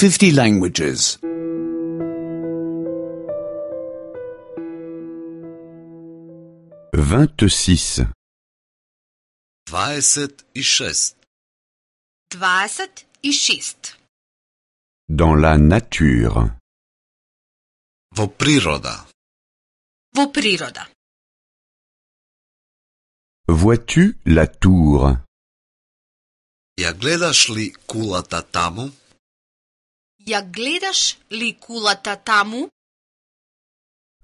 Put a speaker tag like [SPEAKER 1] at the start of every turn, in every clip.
[SPEAKER 1] 50 languages.
[SPEAKER 2] 26.
[SPEAKER 3] 26.
[SPEAKER 4] 26.
[SPEAKER 2] Dans la nature.
[SPEAKER 3] Во природа.
[SPEAKER 4] Во природа.
[SPEAKER 2] Vois-tu la tour?
[SPEAKER 3] Ја гледаш ли кулата таму?
[SPEAKER 4] Ја гледаш ли кулата таму?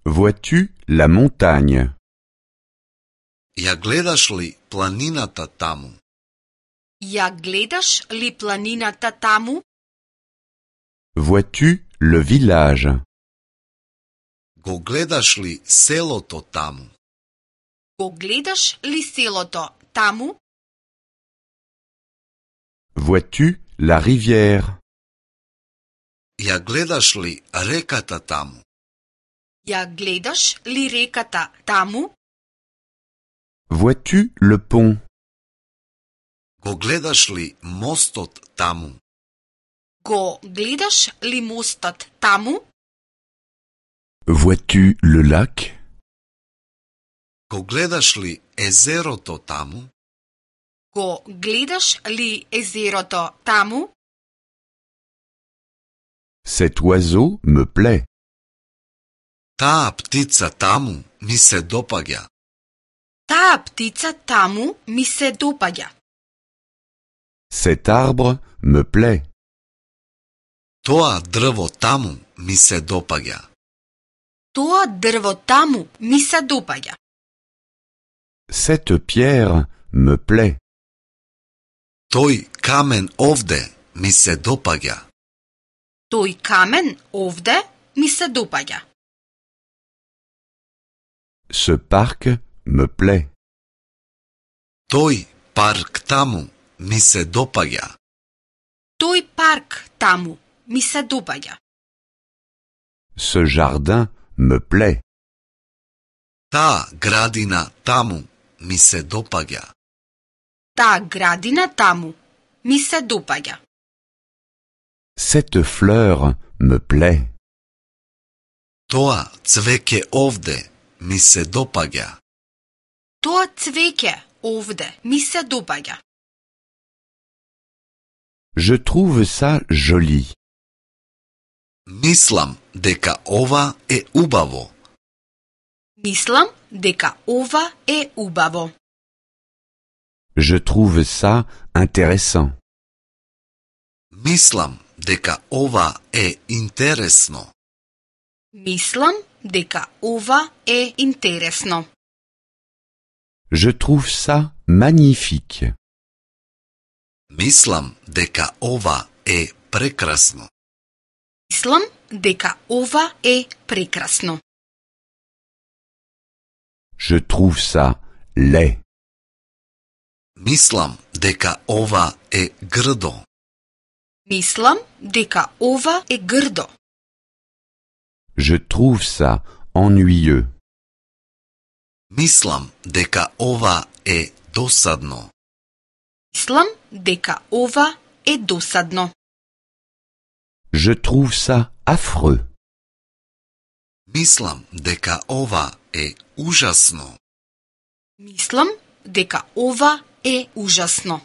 [SPEAKER 2] Vois-tu la montagne?
[SPEAKER 3] Ја гледаш ли планината таму?
[SPEAKER 4] Ја гледаш ли планината таму?
[SPEAKER 2] Vois-tu le village?
[SPEAKER 3] Го гледаш ли селото таму?
[SPEAKER 4] Го гледаш ли селото таму?
[SPEAKER 2] Vois-tu la rivière?
[SPEAKER 3] Ја гледаш ли реката таму?
[SPEAKER 4] Ја гледаш ли реката таму?
[SPEAKER 2] Vois-tu le pont?
[SPEAKER 3] Го гледаш ли мостот таму?
[SPEAKER 4] Го гледаш ли мостот таму?
[SPEAKER 2] Vois-tu le lac?
[SPEAKER 3] Го гледаш ли езерото таму?
[SPEAKER 4] Го гледаш ли езерото таму?
[SPEAKER 2] Cet oiseau me plaît.
[SPEAKER 3] Таа птица таму ми се допаѓа.
[SPEAKER 4] Таа птица таму ми се допаѓа.
[SPEAKER 2] Cet arbre me plaît.
[SPEAKER 3] Тоа дрво таму ми се допаѓа.
[SPEAKER 4] Тоа дрво таму ми се допаѓа.
[SPEAKER 2] Cette pierre me plaît.
[SPEAKER 3] Тој камен овде ми се допаѓа.
[SPEAKER 4] Тој камен овде ми се допаѓа.
[SPEAKER 2] Ce parc me plaît.
[SPEAKER 3] Тој парк таму ми се допаѓа.
[SPEAKER 4] Тој парк таму ми се допаѓа.
[SPEAKER 2] Ce jardin me plaît.
[SPEAKER 3] Таа градина таму ми се допаѓа.
[SPEAKER 4] Таа градина таму ми се допаѓа.
[SPEAKER 2] Cette fleur me plaît.
[SPEAKER 3] Тоа цвеќе овде ми се допаѓа.
[SPEAKER 4] Тоа цвеќе овде ми се допаѓа.
[SPEAKER 2] Je trouve ça joli.
[SPEAKER 3] Мислам дека ова е убаво.
[SPEAKER 4] Мислам дека ова е убаво.
[SPEAKER 2] Je trouve ça intéressant.
[SPEAKER 3] Мислам дека ова е интересно.
[SPEAKER 4] Мислам дека ова е интересно.
[SPEAKER 2] Je trouve ça magnifique.
[SPEAKER 3] Мислам дека ова е прекрасно.
[SPEAKER 4] Мислам дека ова е прекрасно.
[SPEAKER 2] Je trouve ça laid.
[SPEAKER 3] Мислам дека ова е грдо.
[SPEAKER 4] Мислам дека ова е грдо.
[SPEAKER 2] Je trouve ça ennuyeux.
[SPEAKER 3] Мислам дека ова е досадно.
[SPEAKER 4] Мислам дека ова е досадно.
[SPEAKER 2] Je trouve ça affreux.
[SPEAKER 3] Мислам дека ова е ужасно.
[SPEAKER 4] Мислам дека ова е ужасно.